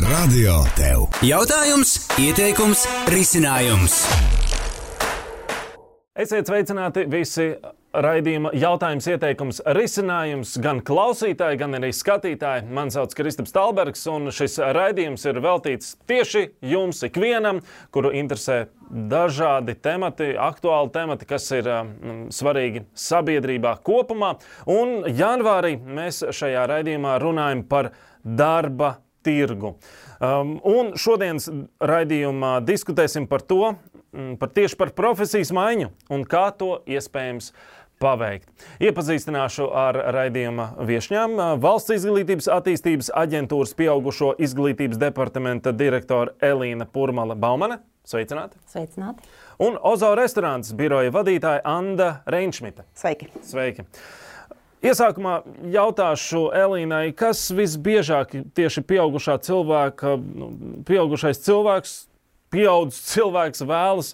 Radio tev. Jautājums, ieteikums, risinājums. Esiet sveicināti visi raidījuma jautājums, ieteikums, risinājums, gan klausītāji, gan arī skatītāji. Mani sauc Kristaps Talbergs, un šis raidījums ir veltīts tieši jums ikvienam, kuru interesē dažādi temati, aktuāli temati, kas ir svarīgi sabiedrībā kopumā. Un janvārī mēs šajā raidījumā runājam par darba tirgu. Un šodienas raidījumā diskutēsim par to, tieši par profesijas maiņu un kā to iespējams paveikt. Iepazīstināšu ar raidījuma viešņām Valsts izglītības attīstības aģentūras pieaugušo izglītības departamenta direktora Elīna Purmale-Baumane. Sveicināti! Sveicināti! Un Ozo restorāns biroja vadītāja Anda Reinšmita. Sveiki! Sveiki! Iesākumā jautāšu Elīnai, kas visbiežāk tieši pieaugušais cilvēks, pieaudzis cilvēks vēlas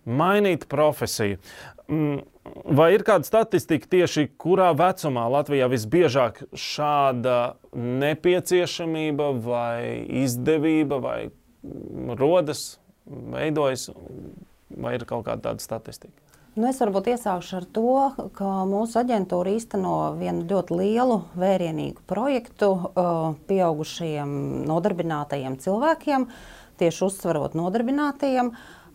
mainīt profesiju. Vai ir kāda statistika tieši kurā vecumā Latvijā visbiežāk šāda nepieciešamība vai izdevība vai rodas, veidojas, vai ir kaut kāda tāda statistika? Es varbūt iesākšu ar to, ka mūsu aģentūra īsteno vienu ļoti lielu vērienīgu projektu pieaugušajiem nodarbinātajiem cilvēkiem, tieši uzsvarot nodarbinātajiem,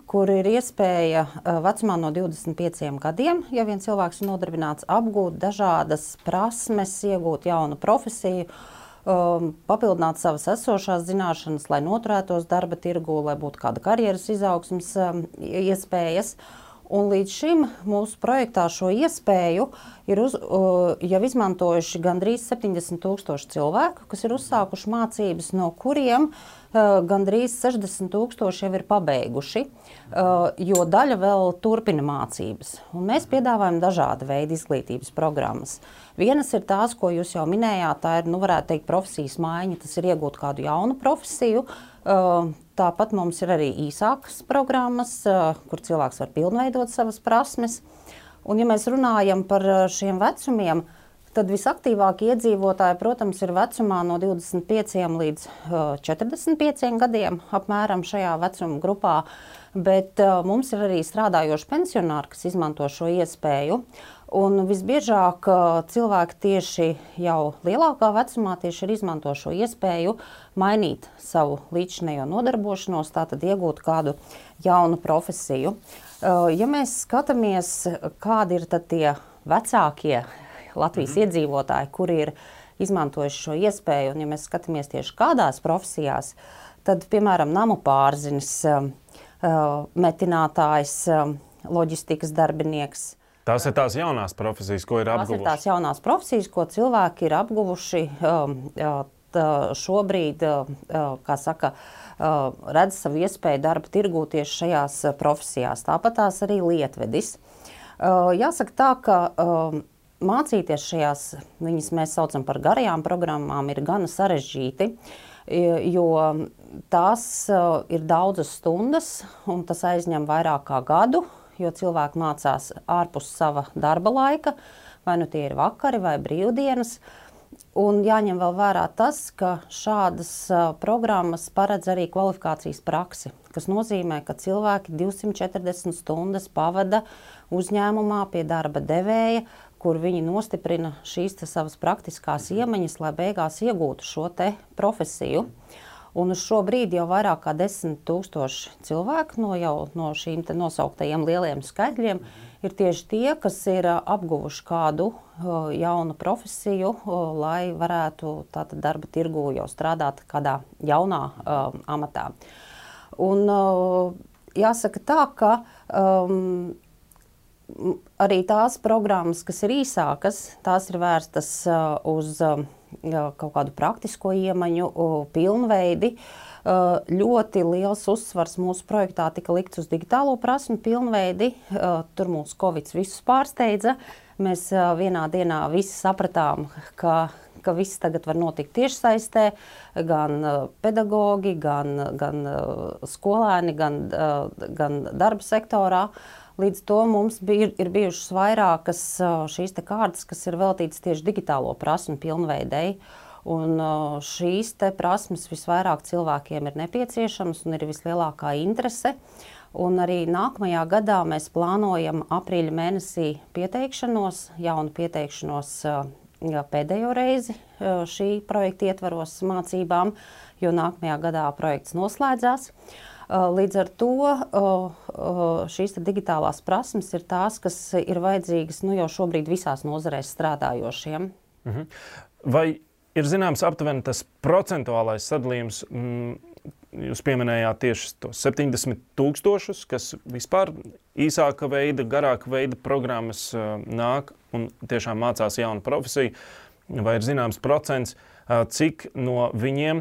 kur ir iespēja vecumā no 25 gadiem, ja vien cilvēks ir nodarbināts, apgūt dažādas prasmes, iegūt jaunu profesiju, papildināt savas esošās zināšanas, lai noturētos darba tirgū, lai būtu kāda karjeras izaugsmes iespējas. Un līdz šim mūsu projektā šo iespēju ir jau izmantojuši gandrīz 70,000 cilvēku, kas ir uzsākuši mācības, no kuriem gandrīz 60,000 jau ir pabeiguši, jo daļa vēl turpina mācības. Un mēs piedāvājam dažāda veida izglītības programmas. Vienas ir tās, ko jūs jau minējāt, tā ir, varētu teikt, profesijas maiņa, tas ir iegūt kādu jaunu profesiju. Tāpat mums ir arī īsākas programmas, kur cilvēks var pilnveidot savas prasmes. Un, ja mēs runājam par šiem vecumiem, tad visaktīvākie iedzīvotāji, protams, ir vecumā no 25 līdz 45 gadiem, apmēram šajā vecuma grupā. Bet mums ir arī strādājoši pensionāri, kas izmanto šo iespēju. Un visbiežāk cilvēki tieši jau lielākā vecumā tieši ir izmanto šo iespēju mainīt savu līdzinējo nodarbošanos, tātad iegūt kādu jaunu profesiju. Ja mēs skatāmies, kādi ir tad tie vecākie Latvijas iedzīvotāji, kuri ir izmantojuši šo iespēju, un ja mēs skatāmies tieši kādās profesijās, tad, piemēram, namu pārzinis, metinātājs, loģistikas darbinieks. Tās ir tās jaunās profesijas, ko ir apguvuši. Tās ir tās jaunās profesijas, ko cilvēki ir apguvuši šobrīd, redz savu iespēju darba tirgū tieši šajās profesijās. Tāpat tās arī lietvedis. Jāsaka tā, ka mācīties šajās, viņas mēs saucam par garajām programmām, ir gana sarežģīti, jo tās ir daudzas stundas, un tas aizņem vairāk kā gadu, jo cilvēki mācās ārpus sava darba laika, vai nu tie ir vakari vai brīvdienas. Un jāņem vēl vērā tas, ka šādas programmas paredz arī kvalifikācijas praksi, kas nozīmē, ka cilvēki 240 stundas pavada uzņēmumā pie darba devēja, kur viņi nostiprina šīs savas praktiskās iemaņas, lai beigās iegūtu šo te profesiju. Un uz šo brīdi jau vairāk kā 10,000 cilvēku no šīm te nosauktajiem lieliem skaitļiem ir tieši tie, kas ir apguvuši kādu jaunu profesiju, lai varētu tātad darba tirgū jau strādāt kādā jaunā amatā. Un jāsaka tā, ka arī tās programmas, kas ir īsākas, tās ir vērstas uz kaut kādu praktisko iemaņu, pilnveidi. Ļoti liels uzsvars mūsu projektā tika likts uz digitālo prasmu pilnveidi. Tur mūsu Covid visus pārsteidza. Mēs vienā dienā visi sapratām, ka viss tagad var notikt tiešsaistē, gan pedagogi, gan skolēni, gan darba sektorā. Līdz to mums ir bijušas vairākas šīs te kārtas, kas ir veltītas tieši digitālo prasmu pilnveidei. Un šīs te prasmes visvairāk cilvēkiem ir nepieciešamas un ir vislielākā interese. Un arī nākamajā gadā mēs plānojam aprīļa mēnesī pieteikšanos, jaunu pieteikšanos pēdējo reizi šī projekta ietvaros mācībām, jo nākamajā gadā projekts noslēdzās. Līdz ar to šīs digitālās prasmes ir tās, kas ir vajadzīgas jau šobrīd visās nozarēs strādājošiem. Vai ir zināms aptuveni tas procentuālais sadalījums? Jūs pieminējāt tieši tos 70,000, kas vispār īsāka veida, garāka veida programmas nāk un tiešām mācās jaunu profesiju. Vai ir zināms procents, cik no viņiem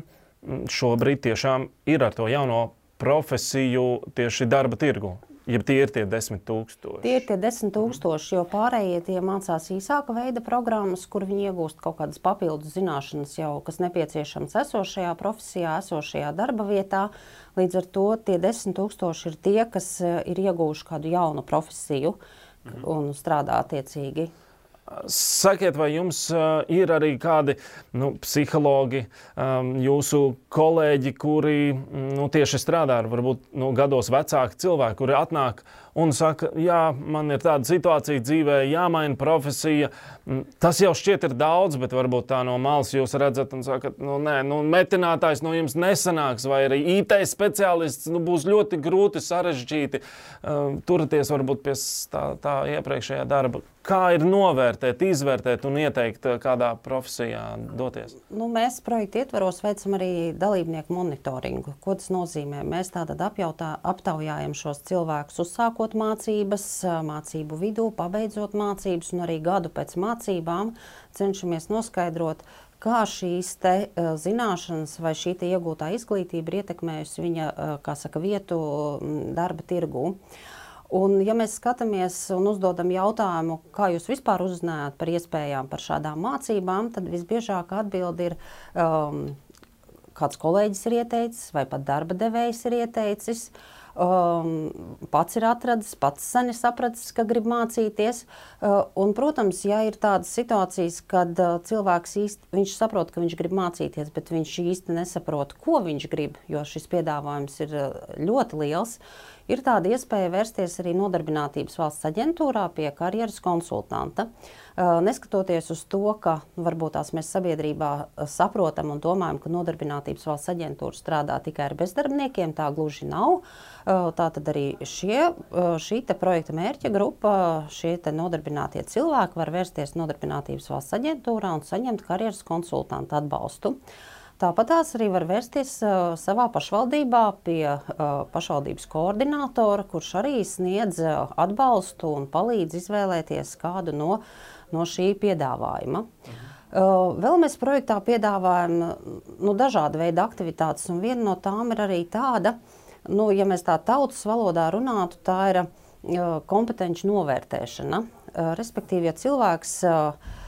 šobrīd tiešām ir ar to jauno profesiju tieši darba tirgu? Ja tie ir tie 10,000? Tie ir tie 10,000, jo pārējie tie mācās īsāka veida programmas, kur viņi iegūst kaut kādas papildus zināšanas jau, kas nepieciešams esošajā profesijā, esošajā darba vietā. Līdz ar to tie 10,000 ir tie, kas ir iegūši kādu jaunu profesiju un strādā attiecīgi. Sakiet, vai jums ir arī kādi psihologi, jūsu kolēģi, kuri tieši strādā ar varbūt gados vecāki cilvēki, kuri atnāk un saka, jā, man ir tāda situācija dzīvē, jāmaina profesija. Tas jau šķiet ir daudz, bet varbūt tā no malas jūs redzat un sakat, metinātājs no jums nesanāks, vai arī IT speciālists būs ļoti grūti, sarežģīti turēties varbūt pie tā iepriekšējā darba. Kā ir novērtēt, izvērtēt un ieteikt, kādā profesijā doties? Mēs projekta ietvaros veicam arī dalībnieku monitoringu. Ko tas nozīmē? Mēs tātad aptaujājam šos cilvēkus, uzsākot mācības, mācību vidū, pabeidzot mācības un arī gadu pēc mācībām cenšamies noskaidrot, kā šīs te zināšanas vai šī te iegūtā izglītība ir ietekmējusi viņa, vietu darba tirgū. Un, ja mēs skatāmies un uzdodam jautājumu, kā jūs vispār uzzinājāt par iespējām par šādām mācībām, tad visbiežāk atbildi ir kāds kolēģis ir ieteicis vai pat darba devējs ir ieteicis. Pats ir atradis, pats sen ir sapratis, ka grib mācīties. Un, protams, ja ir tādas situācijas, kad cilvēks viņš saprot, ka viņš grib mācīties, bet viņš īsti nesaprot, ko viņš grib, jo šis piedāvājums ir ļoti liels, ir tāda iespēja vērsties arī Nodarbinātības valsts aģentūrā pie karjeras konsultanta. Neskatoties uz to, ka varbūt tās mēs sabiedrībā saprotam un domājam, ka Nodarbinātības valsts aģentūra strādā tikai ar bezdarbniekiem, tā gluži nav. Tātad arī šī te projekta mērķa grupa, šie te nodarbinātie cilvēki var vērsties Nodarbinātības valsts aģentūrā un saņemt karjeras konsultanta atbalstu. Tāpat tās arī var vērsties savā pašvaldībā pie pašvaldības koordinātora, kurš arī sniedz atbalstu un palīdz izvēlēties kādu no šī piedāvājuma. Vēl mēs projektā piedāvājam dažādu veidu aktivitātes, un viena no tām ir arī tāda, ja mēs tā tautas valodā runātu, tā ir kompetenci novērtēšana. Respektīvi, ja cilvēks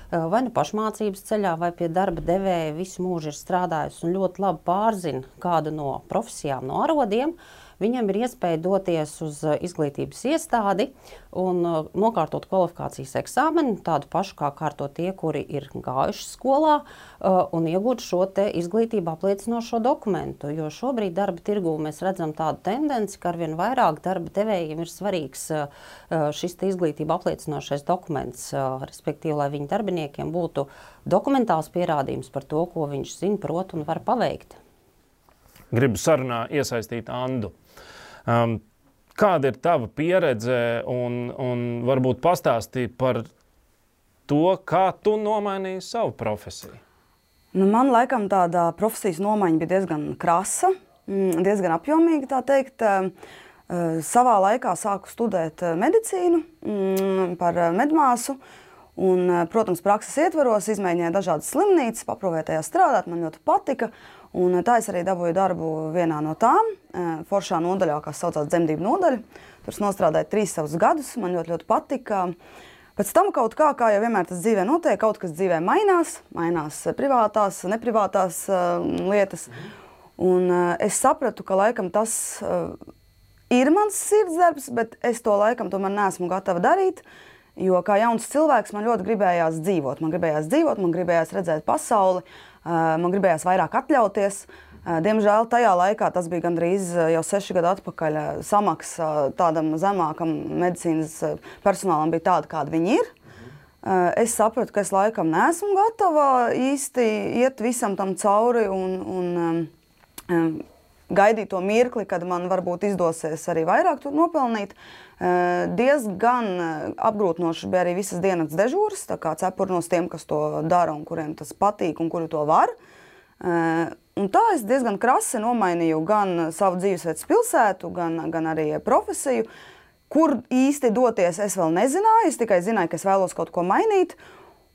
vai pašmācības ceļā, vai pie darba devēja visu mūžu ir strādājis un ļoti labi pārzina kādu no profesijām, no arodiem, viņam ir iespēja doties uz izglītības iestādi un nokārtot kvalifikācijas eksāmenu, tādu pašu kā kārto tie, kuri ir gājuši skolā, un iegūt šo te izglītību apliecinošo dokumentu. Jo šobrīd darba tirgū mēs redzam tādu tendenci, ka arvien vairāk darba devējiem ir svarīgs šis te izglītību apliecinošais dokuments, respektīvi, lai viņu darbiniekiem būtu dokumentāls pierādījums par to, ko viņš zina, prot un var paveikt. Gribu sarunā iesaistīt Andu. Kāda ir tava pieredze un varbūt pastāstīja par to, kā tu nomainīji savu profesiju? Man laikam tāda profesijas nomaiņa bija diezgan krasa, diezgan apjomīga, tā teikt. Savā laikā sāku studēt medicīnu par medmāsu. Un, protams, prakses ietvaros izmēģināju dažādas slimnīcas, paprovē tajā strādāt, man ļoti patika. Un tā es arī dabūju darbu vienā no tām, foršā nodaļā, kas saucās dzemdību nodaļa. Tur es nostrādāju 3 savus gadus, man ļoti patika. Pēc tam kaut kā jau vienmēr tas dzīvē notiek, kaut kas dzīvē mainās privātās, neprivātās lietas. Un es sapratu, ka laikam tas ir mans sirdsdarbs, bet es to laikam tomēr neesmu gatava darīt. Jo kā jauns cilvēks man ļoti gribējās dzīvot. Man gribējās redzēt pasauli, man gribējās vairāk atļauties. Diemžēl tajā laikā, tas bija gandrīz jau 6 gadu atpakaļ, samaksa tādam zemākam medicīnas personālam bija tāda, kāda viņi ir. Es sapratu, ka es laikam neesmu gatava īsti iet visam tam cauri un gaidīt to mirkli, kad man varbūt izdosies arī vairāk tur nopelnīt. Diezgan apgrūtinoši bija arī visas dienas dežūras, tā kā cepurnos tiem, kas to dara un kuriem tas patīk un kuri to var. Un tā es diezgan krasi nomainīju gan savu dzīvesvietas pilsētu, gan arī profesiju. Kur īsti doties, es vēl nezināju. Es tikai zināju, ka es vēlos kaut ko mainīt.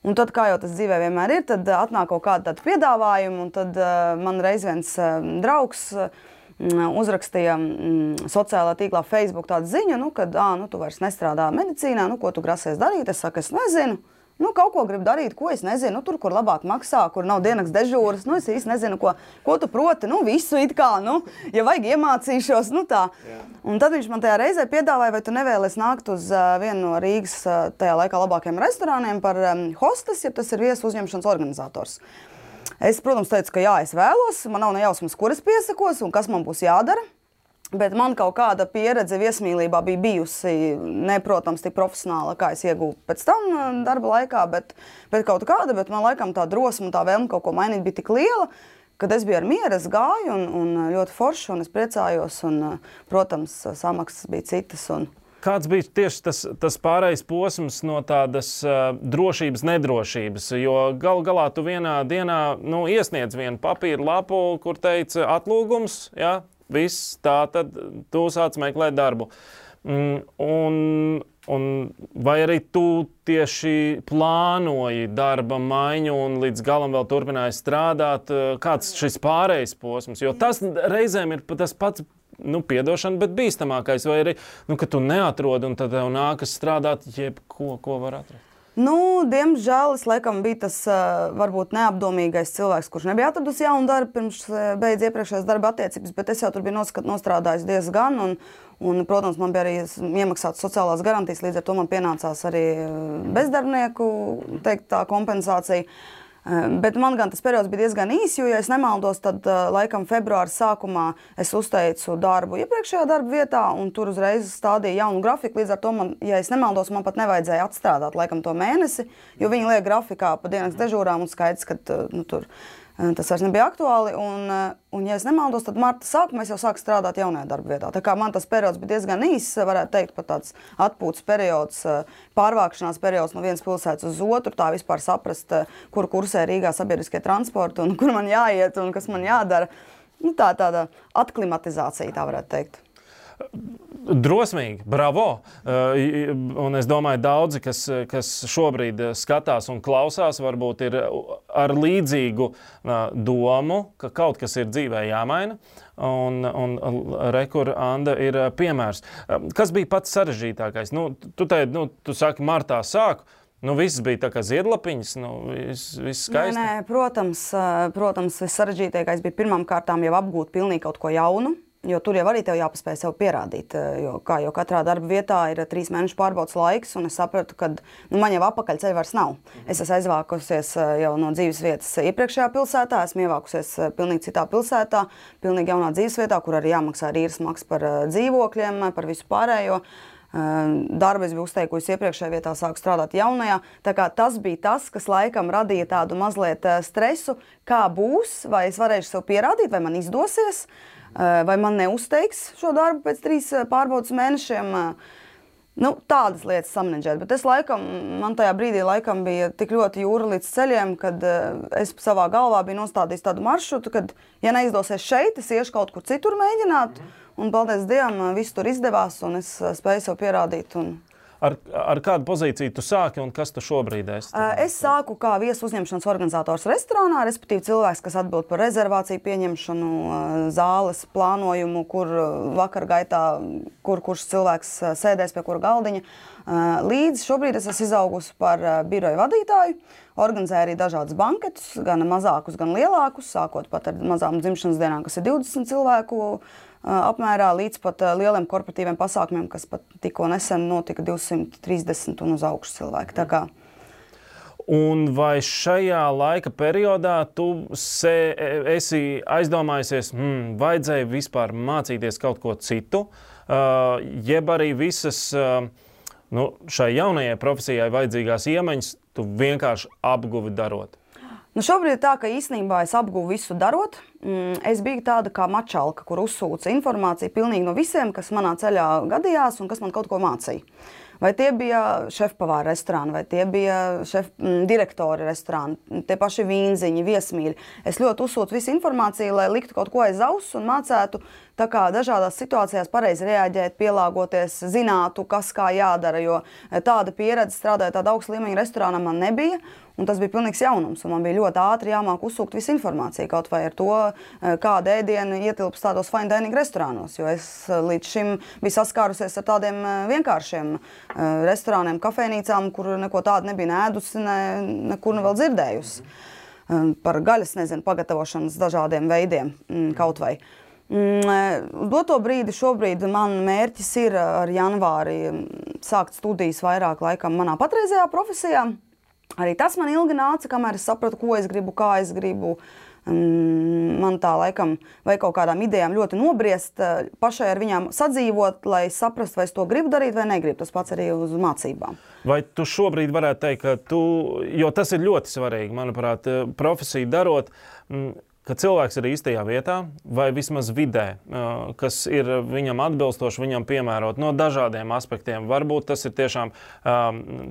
Un tad, kā jau tas dzīvē vienmēr ir, tad atnāk kaut kāda tāda piedāvājuma. Un tad man reiz viens draugs uzrakstīja sociālā tīklā Facebook tādu ziņu, kad tu vairs nestrādā medicīnā, ko tu grasies darīt. Es saku, es nezinu. Kaut ko gribu darīt, ko es nezinu, tur, kur labāk maksā, kur nav dienas dežūras, es īsti nezinu, ko tu proti, visu it kā, ja vajag iemācīšos, tā. Jā. Un tad viņš man tajā reizē piedāvāja, vai tu nevēlies nākt uz vienu no Rīgas tajā laikā labākajiem restorāniem par hostes, ja tas ir viesu uzņemšanas organizators. Es, protams, teicu, ka jā, es vēlos, man nav nejausmas, kur es piesakos un kas man būs jādara. Bet man kaut kāda pieredze viesmīlībā bija bijusi, protams, tik profesionāla, kā es iegūtu pēc tam darba laikā, bet kaut kāda, bet man laikam tā drosma un tā vēlme kaut ko mainīt bija tik liela, kad es biju ar mieru, es gāju un ļoti forši, un es priecājos, un, protams, samaksas bija citas. Kāds bija tieši tas pārējais posms no tādas drošības, nedrošības? Jo galu galā tu vienā dienā iesniedz vienu papīru lapu, kur teica atlūgums, ja? Viss, tā tad tu sāc meklēt darbu. Un vai arī tu tieši plānoji darba maiņu un līdz galam vēl turpināji strādāt? Kāds šis pārējais posms? Jo tas reizēm ir tas pats, piedošana, bet bīstamākais. Vai arī, ka tu neatrodi un tad tev nākas strādāt jebko, ko var atrast? Diemžēl es laikam biju tas varbūt neapdomīgais cilvēks, kurš nebija atradusi jaunu darbu pirms beidz iepriekšējās darba attiecības, bet es jau tur biju nostrādājis diezgan un, protams, man bija arī iemaksātas sociālās garantijas, līdz ar to man pienācās arī bezdarbnieku, tā kompensācija. Bet man gan tas periods bija diezgan īs, jo, ja es nemaldos, tad laikam februāra sākumā es uzteicu darbu iepriekšējā darba vietā un tur uzreiz stādīja jaunu grafiku. Līdz ar to, ja es nemaldos, man pat nevajadzēja atstrādāt laikam to mēnesi, jo viņi liek grafikā pa dienas dežūrām un skaidrs, ka tur tas vairs nebija aktuāli. Un ja es nemaldos, tad marta sākumā es jau sāku strādāt jaunajā darba vietā. Tā kā man tas periods bija diezgan īs, varētu teikt, pat tāds atpūtas periods, pārvākšanās periods no vienas pilsētas uz otru, tā vispār saprast, kur kursē Rīgā sabiedriskie transporti un kur man jāiet un kas man jādara. Tāda aklimatizācija, tā varētu teikt. Drosmīgi, bravo! Un es domāju, daudzi, kas šobrīd skatās un klausās, varbūt ir ar līdzīgu domu, ka kaut kas ir dzīvē jāmaina. Un rekur Anda ir piemērs. Kas bija pats sarežģītākais? Tu saki, martā sāku. Viss bija tā kā ziedlapiņas, viss skaisti. Nē, protams, vissarežģītākais bija pirmām kārtām jau apgūt pilnīgi kaut ko jaunu. Jo tur jau arī tev jāpaspēj sev pierādīt, jo katrā darba vietā ir 3 mēnešu pārbaudas laiks, un es sapratu, ka man jau apakaļceļa vairs nav. Es esmu aizvākusies jau no dzīves vietas iepriekšējā pilsētā, esmu ievākusies pilnīgi citā pilsētā, pilnīgi jaunā dzīves vietā, kur arī jāmaksā īres maksa par dzīvokļiem, par visu pārējo. Darbu es biju uzteikusi iepriekšējā vietā, sāku strādāt jaunajā. Tā kā tas bija tas, kas laikam radīja tādu mazliet stresu, kā būs, vai es varēšu sev pierādīt, vai man izdosies, vai man neuzteiks šo darbu pēc 3 pārbaudas mēnešiem. Tādas lietas samanedžēt, bet man tajā brīdī laikam bija tik ļoti jūra līdz ceļiem, kad es savā galvā biju nostādījis tādu maršrutu, kad, ja neizdosies šeit, es iešu kaut kur citur mēģināt, un paldies Dievam, viss tur izdevās, un es spēju sev pierādīt. Ar kādu pozīciju tu sāki un kas tu šobrīd esi? Es sāku kā viesu uzņemšanas organizators restorānā, respektīvi cilvēks, kas atbild par rezervāciju pieņemšanu, zāles plānojumu, kur vakar gaitā, kurš cilvēks sēdēs pie kura galdiņa. Līdz šobrīd es esmu izaugusi par biroju vadītāju, organizēju arī dažādus banketus, gan mazākus, gan lielākus, sākot pat ar mazām dzimšanas dienām, kas ir 20 cilvēku apmērā, līdz pat lieliem korporatīviem pasākumiem, kas pat tikko nesen notika 230 un uz augšu cilvēki. Tā kā. Un vai šajā laika periodā tu esi aizdomājusies, vajadzēja vispār mācīties kaut ko citu, jeb arī visas šai jaunajai profesijai vajadzīgās iemaņas tu vienkārši apguvi darot? Šobrīd tā, ka īstenībā es apguvu visu darot. Es biju tāda kā mačalka, kur uzsūca informāciju pilnīgi no visiem, kas manā ceļā gadījās un kas man kaut ko mācīja. Vai tie bija šefpavāri restorāni, vai tie bija direktori restorāni, tie paši vīnziņi, viesmīļi. Es ļoti uzsūtu visu informāciju, lai liktu kaut ko aiz auss un mācētu tā kā dažādās situācijās pareizi reaģēt, pielāgoties, zinātu, kas kā jādara, jo tāda pieredze strādājot tāda augsta līmeņa restorānā man nebija. Un tas bija pilnīgs jaunums, un man bija ļoti ātri jāmāk uzsūkt visu informāciju, kaut vai ar to, kāda ēdiena ietilpst tādos fine dining restorānos, jo es līdz šim biju saskārusies ar tādiem vienkāršiem restorāniem, kafejnīcām, kur neko tādu nebija ēdusi, nekur vēl dzirdējusi. Par gaļas, pagatavošanas dažādiem veidiem kaut vai. Doto brīdi šobrīd man mērķis ir ar janvāri sākt studijas vairāk laikam manā patreizējā profesijā. Arī tas man ilgi nāca, kamēr es sapratu, ko es gribu, kā es gribu. Man tā laikam vai kaut kādām idejām ļoti nobriest, pašai ar viņām sadzīvot, lai saprastu, vai es to gribu darīt vai negribu. Tas pats arī uz mācībām. Vai tu šobrīd varētu teikt, ka jo tas ir ļoti svarīgi, manuprāt, profesiju darot, ka cilvēks ir īstajā vietā vai vismaz vidē, kas ir viņam atbilstoši, viņam piemērot no dažādiem aspektiem. Varbūt tas ir tiešām,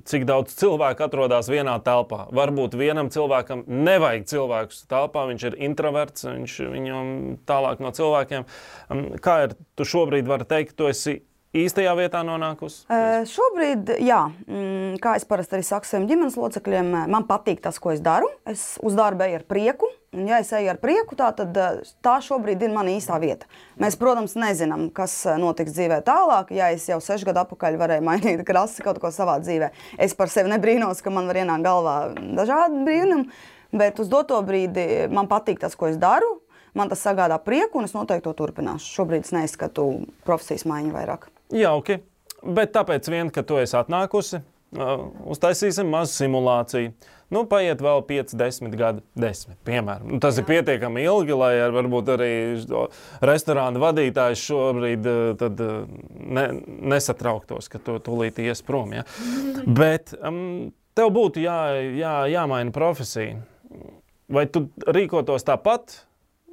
cik daudz cilvēku atrodas vienā telpā. Varbūt vienam cilvēkam nevajag cilvēkus telpā, viņš ir introverts, viņam tālāk no cilvēkiem. Kā ir, tu šobrīd vari teikt, tu esi īstajā vietā nonākusi? Šobrīd, jā. Kā es parasti arī saku saviem ģimenes locekļiem, man patīk tas, ko es daru. Es uz darbu eju ar prieku. Un, ja es eju ar prieku, tad tā šobrīd ir mana īstā vieta. Mēs, protams, nezinām, kas notiks dzīvē tālāk. Ja es jau 6 gadu atpakaļ varēju mainīt krasi kaut ko savā dzīvē, es par sevi nebrīnos, ka man var ienākt galvā dažādi brīnumi, bet uz doto brīdi man patīk tas, ko es daru. Man tas sagādā prieku, un es noteikti to turpināšu. Šobrīd es neizskatu profesijas maiņu vairāk. Jauki, bet tāpēc vien, ka tu esi atnākusi, uztaisīsim mazu simulāciju. Paiet vēl 5, 10 gadi, 10, piemēram. Tas ir pietiekami ilgi, lai varbūt arī restorāna vadītājs šobrīd tad nesatrauktos, ka tu tūlīt ies prom. Ja? Bet tev būtu jāmaina profesija. Vai tu rīkotos tāpat?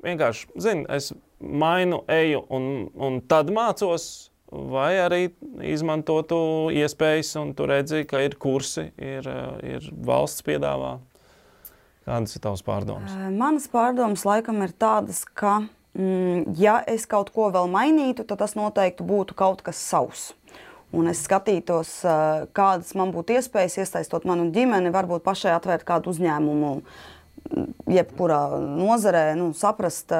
Vienkārši, es mainu, eju un tad mācos, vai arī izmantotu iespējas, un tu redzi, ka ir kursi, ir valsts piedāvā. Kādas ir tavas pārdomas? Manas pārdomas laikam ir tādas, ka, ja es kaut ko vēl mainītu, tad tas noteikti būtu kaut kas savs. Un es skatītos, kādas man būtu iespējas, iesaistot manu ģimeni, varbūt pašai atvērt kādu uzņēmumu, jebkurā nozarē, saprast,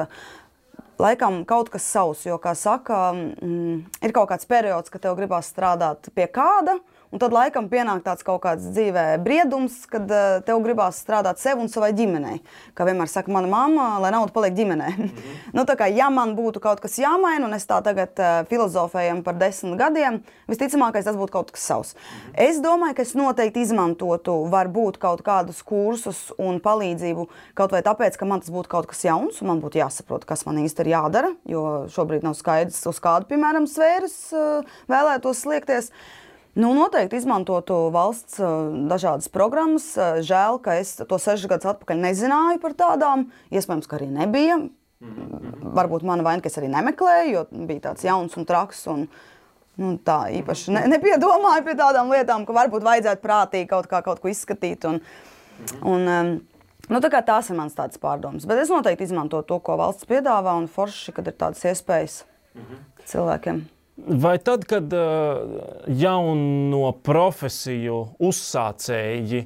laikam kaut kas savs, jo, kā saka, ir kaut kāds periods, ka tev gribās strādāt pie kāda, un tad laikam pienāk tāds kaut kāds dzīvē briedums, kad tev gribās strādāt sev un savai ģimenei. Kā vienmēr saka mana mamma, lai nauda paliek ģimenei. Tā kā, ja man būtu kaut kas jāmaina, un es tā tagad filozofējam par 10 gadiem, visticamākais tas būtu kaut kas savs. Es domāju, ka es noteikti izmantotu varbūt kaut kādus kursus un palīdzību, kaut vai tāpēc, ka man tas būtu kaut kas jauns, un man būtu jāsaprot, kas man īsti ir jādara, jo šobrīd nav skaidrs, uz kādu, piemēram, sfēras vēlētos sliekties. Noteikti izmantotu valsts dažādas programmas. Žēl, ka es to 6 gadus atpakaļ nezināju par tādām. Iespējams, ka arī nebija. Varbūt mana vaina, ka es arī nemeklēju, jo bija tāds jauns un traks. Un, tā īpaši nepiedomāju pie tādām lietām, ka varbūt vajadzētu prātīgi kaut ko izskatīt. Tā kā tās ir mans tādas pārdomas. Bet es noteikti izmantotu to, ko valsts piedāvā, un forši, kad ir tādas iespējas cilvēkiem. Vai tad, kad jauno profesiju uzsācēji,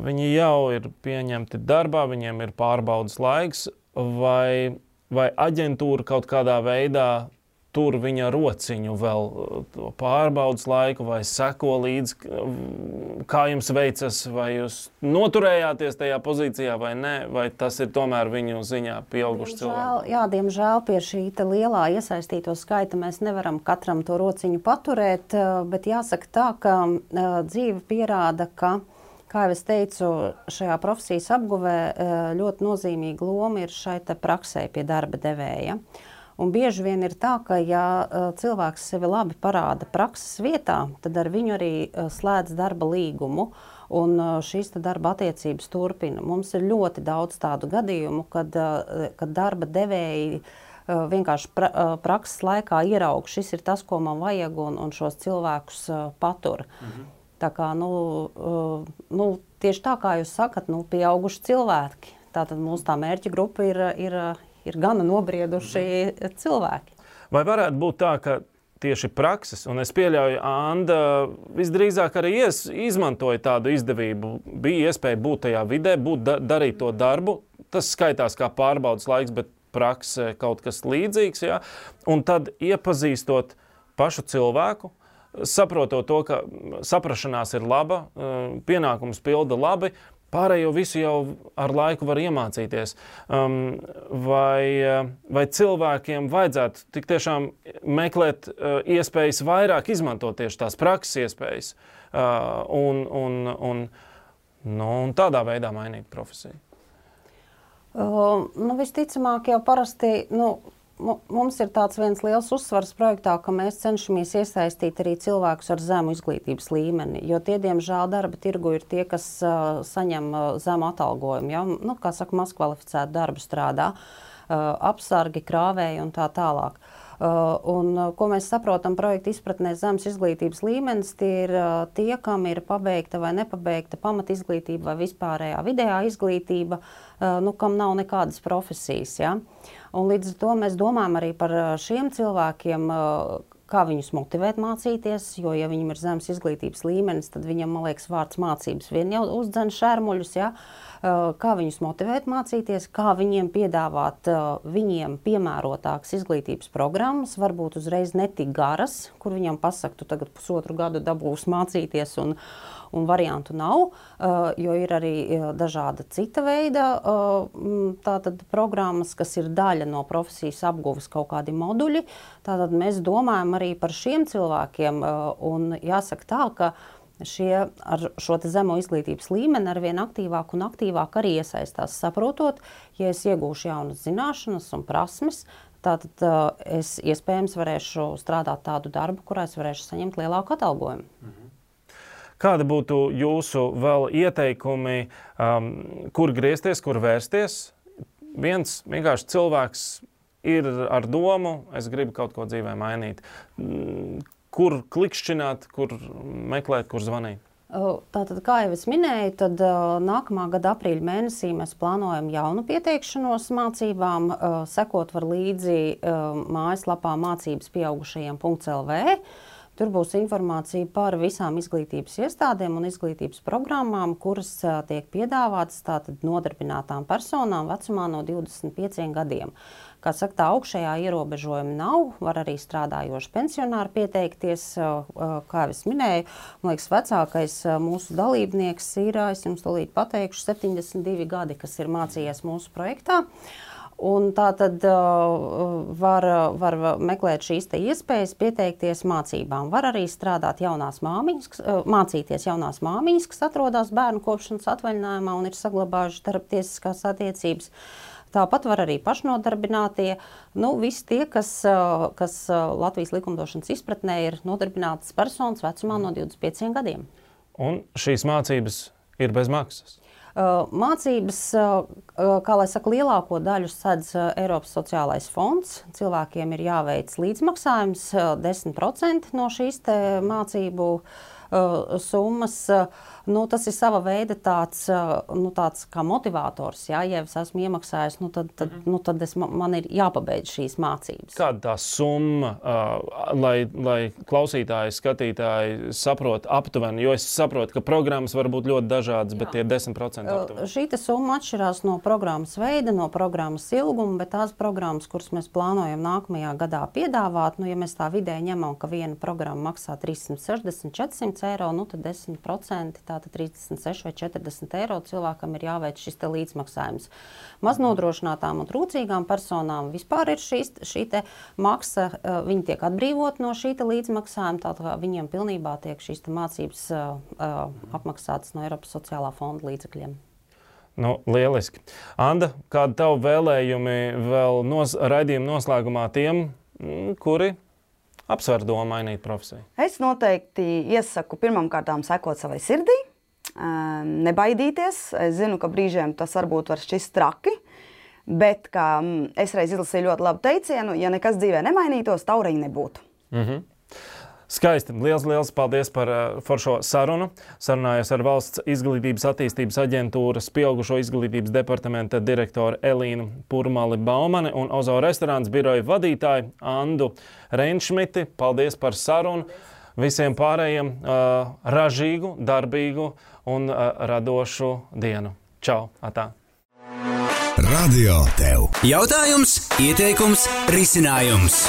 viņi jau ir pieņemti darbā, viņiem ir pārbaudas laiks, vai aģentūra kaut kādā veidā tur viņa rociņu vēl to pārbaudas laiku, vai seko līdz, kā jums veicas, vai jūs noturējāties tajā pozīcijā vai ne, vai tas ir tomēr viņu ziņā pieauguši cilvēki? Jā, diemžēl pie šī lielā iesaistīto skaita mēs nevaram katram to rociņu paturēt, bet jāsaka tā, ka dzīve pierāda, ka Kā jau es teicu, šajā profesijas apguvē ļoti nozīmīga loma ir šai praksē pie darba devēja. Un bieži vien ir tā, ka ja cilvēks sevi labi parāda prakses vietā, tad ar viņu arī slēdz darba līgumu un šīs darba attiecības turpina. Mums ir ļoti daudz tādu gadījumu, kad darba devēji vienkārši prakses laikā ieraug, šis ir tas, ko man vajag, un šos cilvēkus patur. Tā kā, tieši tā kā jūs sakat, pieauguši cilvēki. Tātad mūsu tā mērķa grupa ir gana nobrieduši cilvēki. Vai varētu būt tā, ka tieši prakses, un es pieļauju, Anda visdrīzāk arī izmantoja tādu izdevību, bija iespēja būt tajā vidē, darīt to darbu, tas skaitās kā pārbaudas laiks, bet praksē kaut kas līdzīgs, ja? Un tad iepazīstot pašu cilvēku, saprotot to, ka saprašanās ir laba, pienākums pilda labi, pārējo visu jau ar laiku var iemācīties. Vai cilvēkiem vajadzētu tik tiešām meklēt iespējas vairāk izmantot tieši tās prakses iespējas un tādā veidā mainīt profesiju? Visticamāk jau parasti... Mums ir tāds viens liels uzsvars projektā, ka mēs cenšamies iesaistīt arī cilvēkus ar zemu izglītības līmeni, jo tie, diemžēl, darba tirgu ir tie, kas saņem zemu atalgojumu, ja? Kā saka, mazkvalificētu darbu strādā, apsargi, krāvēji un tā tālāk. Ko mēs saprotam projekta izpratnē zemes izglītības līmenis, tie ir tie, kam ir pabeigta vai nepabeigta pamatizglītība vai vispārējā vidējā izglītība, kam nav nekādas profesijas. Ja? Un līdz ar to mēs domājam arī par šiem cilvēkiem, kā viņus motivēt mācīties, jo, ja viņam ir zemes izglītības līmenis, tad viņam, man liekas, vārds mācības vien jau uzdzen šērmuļus, ja? Kā viņus motivēt mācīties, kā viņiem piedāvāt viņiem piemērotākas izglītības programmas, varbūt uzreiz netik garas, kur viņam pasaka, tu tagad 1,5 gadu dabūs mācīties un variantu nav, jo ir arī dažāda cita veida tātad programmas, kas ir daļa no profesijas apguves kaut kādi moduļi. Tātad mēs domājam arī par šiem cilvēkiem un jāsaka tā, ka ar šo zemo izglītības līmeni arvien aktīvāk un aktīvāk arī iesaistās, saprotot, ja es iegūšu jaunas zināšanas un prasmes, tātad es iespējams varēšu strādāt tādu darbu, kurā es varēšu saņemt lielāku atalgojumu. Kāda būtu jūsu vēl ieteikumi, kur griezties, kur vērsties? Viens vienkārši cilvēks ir ar domu, es gribu kaut ko dzīvē mainīt. Kur klikšķināt, kur meklēt, kur zvanīt? Tātad, kā jau es minēju, tad nākamā gada aprīļa mēnesī mēs plānojam jaunu pieteikšanos mācībām. Sekot var līdzi mājaslapā mācības pieaugušajiem.lv. Tur būs informācija par visām izglītības iestādēm un izglītības programmām, kuras tiek piedāvātas tātad nodarbinātām personām vecumā no 25 gadiem. Kā saka, tā augšējā ierobežojuma nav, var arī strādājoši pensionāri pieteikties, kā jau es minēju. Man liekas, vecākais mūsu dalībnieks ir, es jums tūlīt pateikšu, 72 gadi, kas ir mācījies mūsu projektā. Un tā tad var meklēt šīs iespējas pieteikties mācībām. Var arī strādāt mācīties jaunās māmiņas, kas atrodas bērnu kopšanas atvaļinājumā un ir saglabājuši darbtiesiskās attiecības. Tāpat var arī pašnodarbinātie, visi tie, kas Latvijas likumdošanas izpratnē ir nodarbinātas personas vecumā no 25 gadiem. Un šīs mācības ir bez maksas? Mācības, kā lai saka, lielāko daļu sedz Eiropas sociālais fonds. Cilvēkiem ir jāveic līdzmaksājums 10% no šīs mācību summas. Tas ir sava veida tāds kā motivators. Ja es esmu iemaksājis, tad man ir jāpabeidz šīs mācības. Kāda tā summa, lai klausītāji, skatītāji saprot aptuveni? Jo es saprotu, ka programmas var būt ļoti dažādas, bet tie 10% aptuveni. Šī summa atšķirās no programmas veida, no programmas ilguma, bet tās programmas, kuras mēs plānojam nākamajā gadā piedāvāt, ja mēs tā vidēji ņemam, ka viena programma maksā 360–400 eiro, tad 10% tātad 36 vai 40 eiro cilvēkam ir jāveic šis te līdzmaksājums. Maznodrošinātām un trūcīgām personām vispār ir šī te maksa, viņi tiek atbrīvot no šī te līdzmaksājuma, tātad viņiem pilnībā tiek šīs te mācības apmaksātas no Eiropas sociālā fonda līdzekļiem. Nu, lieliski. Anda, kādi tavi vēlējumi vēl raidījuma noslēgumā tiem, kuri apsver domu mainīt profesiju? Es noteikti iesaku pirmkārtām sekot savai sirdī, nebaidīties. Es zinu, ka brīžiem tas varbūt var šķist traki, bet kā es reiz izlasīju ļoti labu teicienu, ja nekas dzīvē nemainītos, tauriņi nebūtu. Skaisti. Liels paldies par foršo sarunu. Sarunājos ar Valsts izglītības attīstības aģentūras pieaugušo izglītības departamenta direktoru Elīnu Purmali-Baumani un Ozo restorāns biroja vadītāju Andu Reinšmiti. Paldies par sarunu. Visiem pārējiem ražīgu, darbīgu un radošu dienu. Čau! Atā! Radio tev. Jautājums, ieteikums, risinājums.